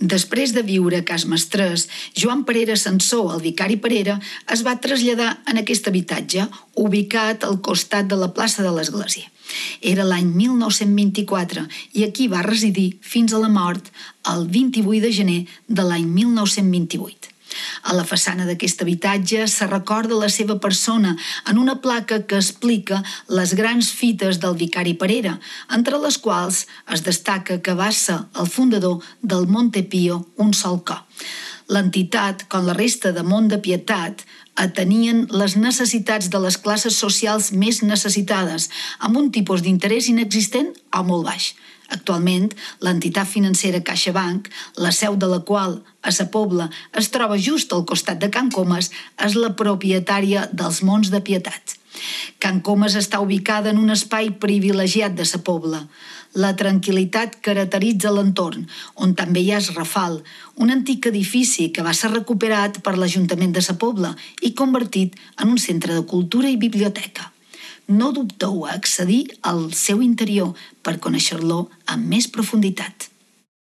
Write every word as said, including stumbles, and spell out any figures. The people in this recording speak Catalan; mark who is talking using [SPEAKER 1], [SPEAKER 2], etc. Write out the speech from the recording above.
[SPEAKER 1] Després de viure a Cas Mestrès, Joan Parera Sansó, el vicari Parera, es va traslladar en aquest habitatge, ubicat al costat de la plaça de l'Església. Era l'any mil nou-cents vint-i-quatre i aquí va residir fins a la mort el vint-i-vuit de gener de l'any mil nou-cents vint-i-vuit. A la façana d'aquest habitatge se recorda la seva persona en una placa que explica les grans fites del vicari Parera, entre les quals es destaca que va ser el fundador del Montepío un sol cop. L'entitat, com la resta de Mont de Pietat, atenien les necessitats de les classes socials més necessitades, amb un tipus d'interès inexistent o molt baix. Actualment, l'entitat financera CaixaBank, la seu de la qual, a Sa Pobla, es troba just al costat de Can Comas, és la propietària dels Monts de Pietat. Can Comas està ubicada en un espai privilegiat de Sa Pobla. La tranquil·litat caracteritza l'entorn, on també hi ha el Rafal, un antic edifici que va ser recuperat per l'Ajuntament de Sa Pobla i convertit en un centre de cultura i biblioteca. No dubteu a accedir al seu interior per conèixer-lo amb més profunditat.